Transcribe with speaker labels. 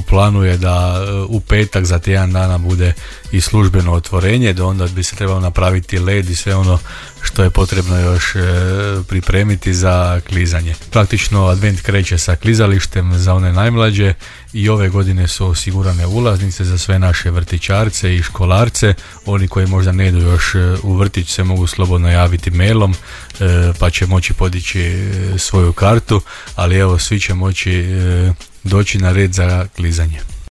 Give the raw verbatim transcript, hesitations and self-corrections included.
Speaker 1: planu je da u petak za tjedan dana bude i službeno otvorenje, da onda bi se trebalo napraviti led i sve ono što je potrebno još e, pripremiti za klizanje. Praktično advent kreće sa klizalištem za one najmlađe i ove godine su osigurane ulaznice za sve naše vrtićarce i školarce. Oni koji možda ne idu još u vrtić se mogu slobodno javiti mailom, e, pa će moći podići svoju kartu, ali evo svi će moći e, doći na red za klizanje.